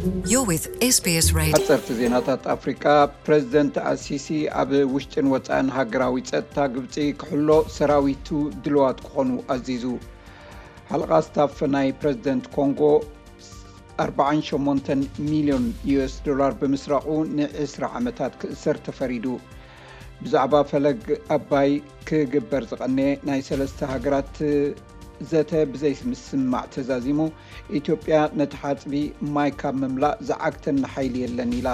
You're with SBS Radio. ሓፀርቲ ዜናታት ኣፍሪቃ። ፕሬዚደንት ኣልሲሲ ኣብ ውሽጥን ወፃእን ሃገራዊ ፀጥታ ግብፂ ክሕሎ ሰራዊቱ ድልዋት ክኾኑ ኣዚዙ። ሓለቓ ስታፍ ናይ ፕሬዚደንት ኮንጎ ኣርባዓን ሸሞንተን ሚልዮን ዩ ኤስ ዶላር ብምስራቑ ንዕስራ ዓመታት ክእሰር ተፈሪዱ። ብዛዕባ ፈለግ ኣባይ ክግበር ዝቐነየ ናይ ሰለስተ ሃገራት ዘተ ብዘይምስምማዕ ተዛዚሙ። ኢትዮጵያ ነቲ ሓጽቢ ማይ ካብ ምምላእ ዝዓግተኒ ሓይሊ የለን ኢላ።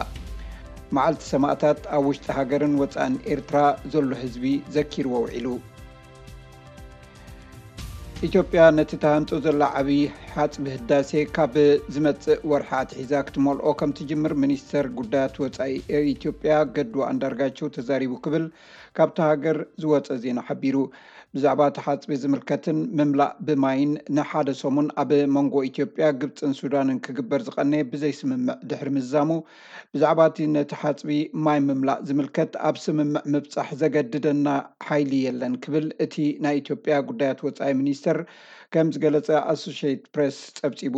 መዓልቲ ሰማእታት ኣብ ውሽጢ ሃገርን ወጻእን ኤርትራ ዘሎ ህዝቢ ዘኪርዎ ውዒሉ። ኢትዮጵያ ነቲ ተሃንጹ ዘላ ዓቢ ሓጽቢ ህዳሴ ካብ ዝመጽእ ወርሒ ኣትሒዛ ክትመልኦ ከም ትጅምር ሚኒስተር ጉዳያት ወጻኢ ኢትዮጵያ ገዱ ኣንዳርጋቸው ተዛሪቡ ክብል ካብታ ሃገር ዝወጸ ዜና ሓቢሩ። ብዛዕባ እቲ ሓጽቢ ዝምልከትን ምምላእ ብማይን ንሓደ ሰሙን ኣብ መንጎ ኢትዮጵያ፣ ግብጽን ሱዳንን ክግበር ዝቐነየ ብዘይስምምዕ ድሕሪ ምዝዛሙ፣ ብዛዕባ እቲ ነቲ ሓጽቢ ማይ ምምላእ ዝምልከት ኣብ ስምምዕ ምብጻሕ ዘገድደና ሓይሊ የለን ክብል እቲ ናይ ኢትዮጵያ ጉዳያት ወጻኢ ሚኒስተር ከም ዝገለጸ ኣሶሼትድ ፕሬስ ጸብጺቡ።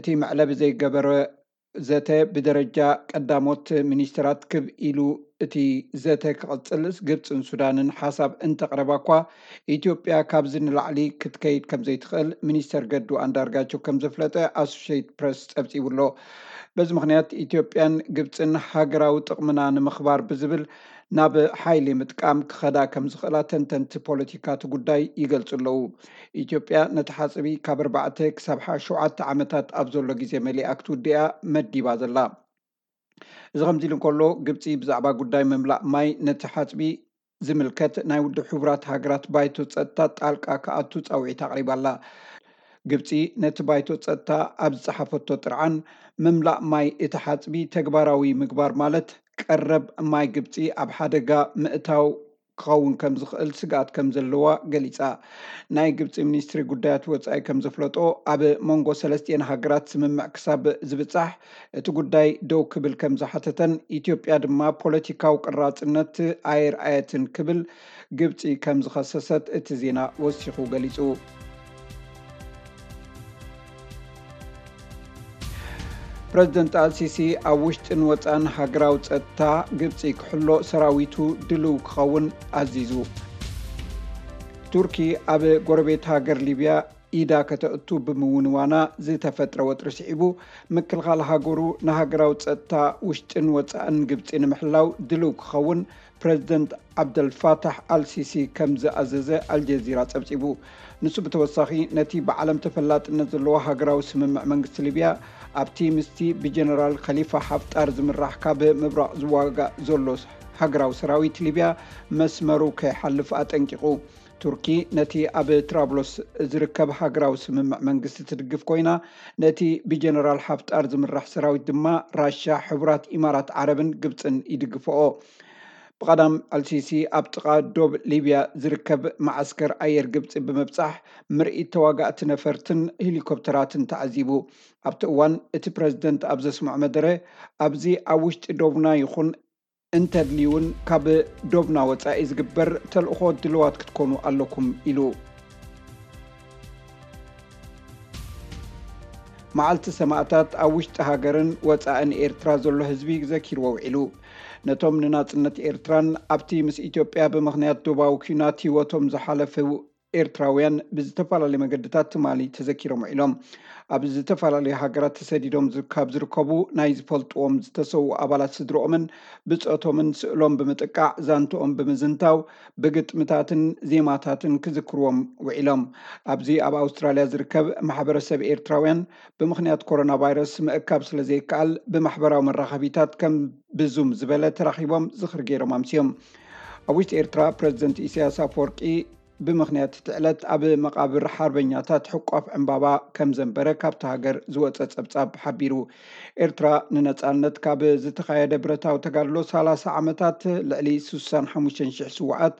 እቲ መዕለቢ ዘይገበረ ዘተ ብደረጃ ቀዳሞት ሚኒስተራት ክብ ኢሉ እቲ ዘተ ክቕጽል ግብጽን ሱዳንን ሓሳብ እንተቕረባ እኳ፣ ኢትዮጵያ ካብዚ ንላዕሊ ክትከይድ ከም ዘይትኽእል ሚኒስተር ገዱ ኣንዳርጋቸው ከም ዘፍለጠ ኣሶሼትድ ፕሬስ ጸብጺቡ ኣሎ። በዚ ምኽንያት ኢትዮጵያን ግብጽን ሃገራዊ ጥቕምና ንምኽባር ብዝብል ናብ ሓይሊ ምጥቃም ክኸዳ ከም ዝኽእላ ተንተንቲ ፖለቲካ እቲ ጉዳይ ይገልጹ ኣለዉ። ኢትዮጵያ ነቲ ሓጽቢ ካብ ኣርባዕተ ክሳብ ሓ-፣ ሸውዓተ ዓመታት ኣብ ዘሎ ግዜ መሊኣ ክትውድኣ መዲባ ዘላ። እዚ ከምዚ ኢሉ እንከሎ፣ ግብጺ ብዛዕባ ጉዳይ ምምላእ ማይ ነቲ ሓጽቢ ዝምልከት ናይ ውድብ ሕቡራት ሃገራት ባይቶ ጸጥታ ጣልቃ ክኣቱ ጻውዒት ኣቕሪባ ኣላ። ግብጺ ነቲ ባይቶ ጸጥታ ኣብ ዝጸሓፈቶ ጥርዓን፣ ምምላእ ማይ እቲ ሓጽቢ ተግባራዊ ምግባር ማለት ቀረብ ማይ ግብጺ ኣብ ሓደጋ ምእታው ክኸውን ከም ዝኽእል ስግኣት ከም ዘለዋ ገሊጻ። ናይ ግብጺ ሚኒስትሪ ጉዳያት ወጻኢ ከም ዘፍለጦ፣ ኣብ መንጎ ሰለስቲኤን ሃገራት ስምምዕ ክሳብ ዝብጻሕ እቲ ጉዳይ ደው ክብል ከም ዝሓተተን፣ ኢትዮጵያ ድማ ፖለቲካዊ ቅራጽነት ኣየርኣየትን ክብል ግብጺ ከም ዝኸሰሰት እቲ ዜና ወሲኹ ገሊጹ። ፕረዚደንት ኣልሲሲ ኣብ ውሽጥን ወጻእን ሃገራዊ ጸጥታ ግብጺ ክሕሎ ሰራዊቱ ድልው ክኸውን ኣዚዙ። ቱርኪ ኣብ ጎረቤት ሃገር ሊብያ ኢዳ ከተእቱ ብምውንዋና ዝተፈጥረ ወጥሪ ስዒቡ፣ ምክልኻል ሃገሩ ንሃገራዊ ጸጥታ ውሽጥን ወጻእን ግብጺ ንምሕላው ድልው ክኸውን ፕረዚደንት ዓብደልፋታሕ ኣልሲሲ ከም ዝኣዘዘ ኣልጀዚራ ጸብጺቡ። ንሱ ብተወሳኺ ነቲ ብዓለም ተፈላጥነት ዘለዎ ሃገራዊ ስምምዕ መንግስቲ ሊብያ ኣብቲ ምስቲ ብጀነራል ኸሊፋ ሓፍጣር ዝምራሕ ካብ ምብራቕ ዝዋጋእ ዘሎ ሃገራዊ ሰራዊት ሊብያ መስመሩ ከይሓልፍ ኣጠንቂቑ። ቱርኪ ነቲ ኣብ ትራብሎስ ዝርከብ ሃገራዊ ስምምዕ መንግስቲ ትድግፍ ኮይና፣ ነቲ ብጀነራል ሓፍጣር ዝምራሕ ሰራዊት ድማ ራሻ፣ ሕቡራት ኢማራት ዓረብን ግብጽን ይድግፍኦ። ብቐዳም ኣልሲሲ ኣብ ጥቓ ዶብ ሊብያ ዝርከብ መዓስከር ኣየር ግብጺ ብምብጻሕ፣ ምርኢት ተዋጋእቲ ነፈርትን ሄሊኮፕተራትን ተዓዚቡ። ኣብቲ እዋን እቲ ፕረዚደንት ኣብ ዘስምዖ መደረ፣ ኣብዚ ኣብ ውሽጢ ዶብና ይኹን እንተድልዩ እውን ካብ ዶብና ወጻኢ ዝግበር ተልእኾ ድልዋት ክትኮኑ ኣለኩም ኢሉ። መዓልቲ ሰማእታት ኣብ ውሽጢ ሃገርን ወጻእን ኤርትራ ዘሎ ህዝቢ ዘኪርዎ ውዒሉ። ነቶም ንናጽነት ኤርትራን ኣብቲ ምስ ኢትዮጵያ ብምኽንያት ዶባዊ ኲናት ህይወቶም ዝሓለፉ ኤርትራውያን ብዝተፈላለዩ መገድታት ትማሊ ተዘኪሮም ውዒሎም። ኣብ ዝተፈላለዩ ሃገራት ተሰዲዶም ዝ-፣ ካብ ዝርከቡ ናይ ዝፈልጥዎም ዝተሰዉ ኣባላት ስድርኦምን ብጾቶምን ስእሎም ብምጥቃዕ፣ ዛንትኦም ብምዝንታው፣ ብግጥምታትን ዜማታትን ክዝክርዎም ውዒሎም። ኣብዚ ኣብ ኣውስትራልያ ዝርከብ ማሕበረሰብ ኤርትራውያን ብምኽንያት ኮሮና ቫይረስ ምእካብ ስለ ዘይከኣል፣ ብማሕበራዊ መራኸቢታት ከም ብዙም ዝበለ ተራኺቦም ዝኽሪ ገይሮም ኣምስዮም። ኣብ ውሽጢ ኤርትራ፣ ፕረዚደንት ኢሳያስ ኣፈወርቂ ብምኽንያት እቲ ዕለት ኣብ መቓብር ሓርበኛታት ሕቋፍ ዕምባባ ከም ዘንበረ ካብታ ሃገር ዝወጸ ጸብጻብ ሓቢሩ። ኤርትራ ንነጻነት ካብ ዝተኻየደ ብረታዊ ተጋድሎ ሰላሳ ዓመታት ልዕሊ ስሳን ሓሙሽተን ሽሕ ስውኣት፣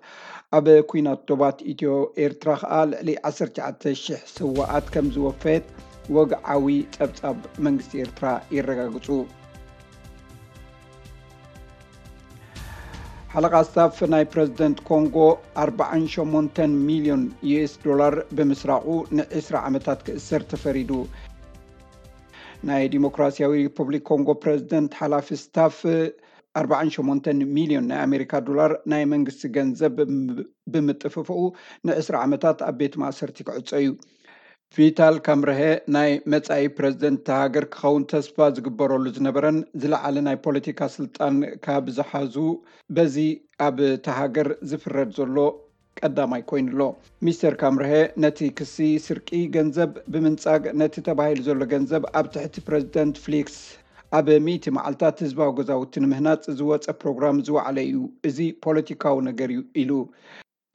ኣብ ኲናት ዶባት ኢትዮ ኤርትራ ከኣ ልዕሊ ዓሰርተ ትሽዓተ ሽሕ ስውኣት ከም ዝወፈየት ወግዓዊ ጸብጻብ መንግስቲ ኤርትራ የረጋግጹ። ሓለቓ ስታፍ ናይ ፕረዚደንት ኮንጎ ኣርባዓን ሸሞንተን ሚልዮን ዩ ኤስ ዶላር ብምስራቑ ንዕስራ ዓመታት ክእሰር ተፈሪዱ። ናይ ዲሞክራሲያዊ ሪፐብሊክ ኮንጎ ፕረዚደንት ሓላፊ ስታፍ ኣርባዓን ሸሞንተን ሚልዮን ናይ ኣሜሪካ ዶላር ናይ መንግስቲ ገንዘብ ብምጥፍፍኡ ንዕስራ ዓመታት ኣብ ቤት ማእሰርቲ ክዕጾ እዩ። ቪታል ካምረሀ ናይ መጻኢ ፕረዚደንት እታ ሃገር ክኸውን ተስፋ ዝግበረሉ ዝነበረን ዝለዓለ ናይ ፖለቲካ ስልጣን ካብ ዝሓዙ በዚ ኣብ እታ ሃገር ዝፍረድ ዘሎ ቀዳማይ ኮይኑ ኣሎ። ሚስተር ካምረሀ ነቲ ክሲ ስርቂ ገንዘብ ብምንጻግ ነቲ ተባሂሉ ዘሎ ገንዘብ ኣብ ትሕቲ ፕረዚደንት ፍሊክስ ኣብ ሚእቲ መዓልታት ህዝባዊ ገዛውቲ ንምህናጽ ዝወጸ ፕሮግራም ዝወዓለ እዩ። እዚ ፖለቲካዊ ነገር እዩ ኢሉ።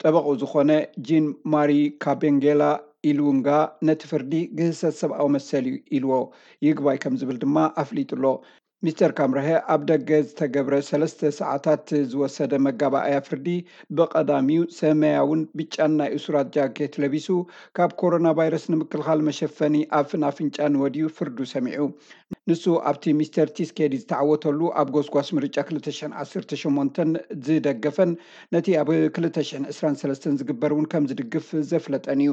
ጠበቑ ዝኾነ ጂን ማሪ ካቤንጌላ ኢሉንጋ ነቲ ፍርዲ ግህሰት ሰብኣዊ መሰል እዩ ኢልዎ። ይግባይ ከም ዝብል ድማ ኣፍሊጡ ኣሎ። ሚስተር ካምረሀ ኣብ ደገ ዝተገብረ ሰለስተ ሰዓታት ዝወሰደ መጋባእያ ፍርዲ ብቐዳሚኡ ሰማያውን ብጫን ናይ እሱራት ጃኬት ለቢሱ ካብ ኮሮና ቫይረስ ንምክልኻል መሸፈኒ ኣፍን ኣፍንጫን ወድዩ ፍርዱ ሰሚዑ። ንሱ ኣብቲ ሚስተር ቲስኬዲ ዝተዓወተሉ ኣብ ጎስጓስ ምርጫ ክልተ ሽሕን ዓሰርተ ሸሞንተን ዝደገፈን ነቲ ኣብ ክልተ ሽሕን ዕስራን ሰለስተን ዝግበር እውን ከም ዝድግፍ ዘፍለጠን እዩ።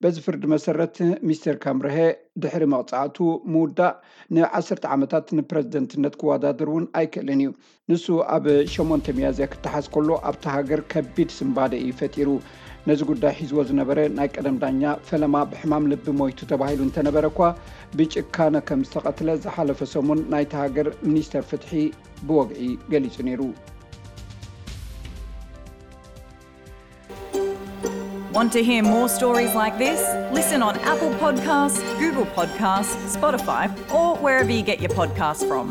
በዚ ፍርዲ መሰረት ሚስተር ካምረሀ ድሕሪ መቕጻዕቱ ምውዳእ ንዓሰርተ ዓመታት ንፕረዚደንትነት ክወዳደር እውን ኣይክእልን እዩ። ንሱ ኣብ ሸሞንተ ሚያዝያ ክተሓዝ ከሎ ኣብታ ሃገር ከቢድ ስንባደ እዩ ፈጢሩ። ነዚ ጉዳይ ሒዝዎ ዝነበረ ናይ ቀደም ዳኛ ፈለማ ብሕማም ልቢ ሞይቱ ተባሂሉ እንተነበረ እኳ ብጭካነ ከም ዝተቐትለ ዝሓለፈ ሰሙን ናይታ ሃገር ሚኒስተር ፍትሒ ብወግዒ ገሊጹ ነይሩ። Want to hear more stories like this? Listen on Apple Podcasts, Google Podcasts, Spotify, or wherever you get your podcasts from.